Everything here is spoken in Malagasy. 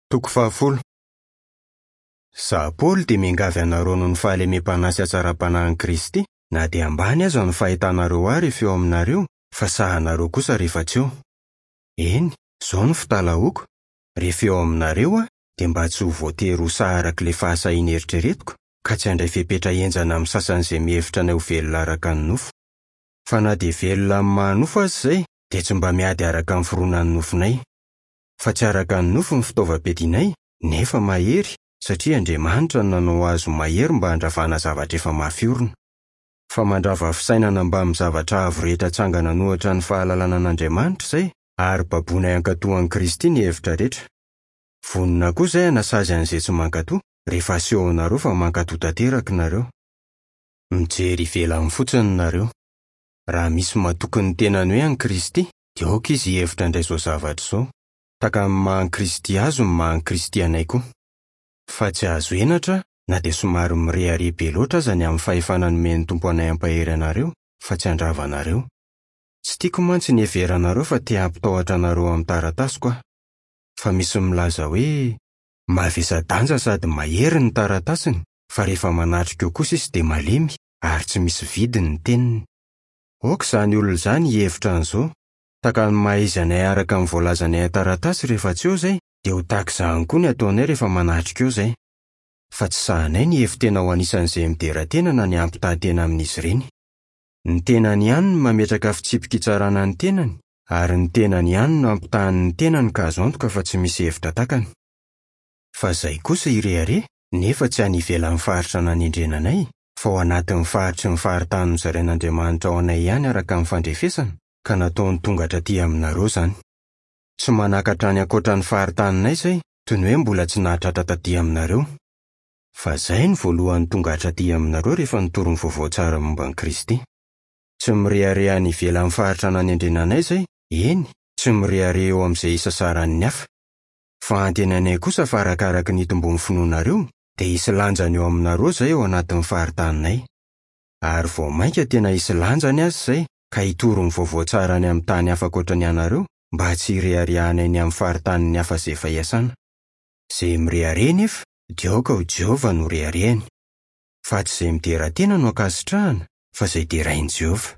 Toko fahafolo. Izaho Paoly dia miangavy anareo noho ny fahalemem-panahy sy hatsaram-panahin'i Kristy, na dia ambany aza ny fahitanareo ahy rehefa eo aminareo, fa sahanareo kosa rehefa tsy eo. Eny, izao no fitalahoako, rehefa eo aminareo aho, dia mba tsy ho voatery ho sahy araka ilay fahasahiana eritreretiko, ka tsy handray fepetra henjana amin'ny sasany izay mihevitra anay ho velona araka ny nofo. Fa na dia velona amin'ny maha-nofo aza izay, dia tsy mba miady araka ny fironan'ny nofonay. Fa tsy araka ny nofo ny fitaovam-piadianay, nefa mahery, satria Andriamanitra no nanao azy ho mahery mba handravana zavatra efa mafy orina. Fa mandrava fisainana mbamin'ny zavatra avo rehetra atsangana an'ohatra ny fahalalana an'Andriamanitra izay, ary baboinay hankatò an'i Kristy ny hevitra rehetra. Vonona koa izay hanasazy an'izay tsy mankatò, rehefa asehonareo fa mankatò tanteraka nareo. Mijery ivelany fotsiny nareo. Raha misy matoky ny tenany hoe an'i Kristy, dia aoka izy hihevitra indray izao zavatra izao, Tahaka ny maha an'i Kristy azy no maha an'i Kristy anay koa. Fa tsy azo henatra na dia somary mirehareha be loatra aza ny amin'ny fahefana nomen'ny Tompo anay hampahery anareo, fa tsy handrava anareo. Tsy tiako mantsy ny hiheveranareo fa te hampitahotra anareo amin'ny taratasiko aho. Fa misy milaza hoe, Mavesa-danja sady mahery ny taratasiny, fa rehefa manatrika eo kosa izy dia malemy ary tsy misy vidiny ny teniny. Aoka izany olona izany hihevitra an'izao, Tahaka ny maha izy anay araka ny voalazanay an-taratasy rehefa tsy eo izay, dia ho tahaka izany koa ny ataonay rehefa manatrika eo izay. Fa tsy sahanay ny hihevi-tena ho anisan'izay midera tena na ny hampitaha tena amin'izy ireny. Ny tenany ihany no mametraka fitsipi-kitsarana ny tenany, ary ny tenany ihany no ampitahany ny tenany ka azo antoka fa tsy misy hevitra takany. Fa izay kosa hirehareha, nefa tsy any ivelan'ny faritra nanendrena anay, fa ao anatin'ny faritry ny faritany nozarain'Andriamanitra ho anay ihany araka ny fandrefesana, ka nataony tonga hatraty aminareo izany. Tsy manakatra any ankoatra ny faritaninay izay, toy ny hoe mbola tsy nahatratra taty aminareo. Fa izay no voalohany tonga hatraty aminareo rehefa nitory ny vaovao tsara momba an'i Kristy. Tsy mirehareha any ivelan'ny faritra nanendrena anay izay, eny, tsy mirehareha eo amin'izay isasaran'ny hafa. Fa antenainay kosa fa arakaraka ny hitomboan'ny finoanareo, dia hisy lanjany eo aminareo izay ao anatin'ny faritaninay. Ary vao mainka tena hisy lanjany aza izay ka hitory ny vaovao tsara any amin'ny tany hafa ankoatra ny anareo mba tsy hireharehanay ny amin'ny faritanin'ny hafa izay efa iasana. Izay mirehareha anefa dia aoka ho Jehovah no reharehany. Fa tsy izay midera tena no ankasitrahana fa izay derain'i Jehovah.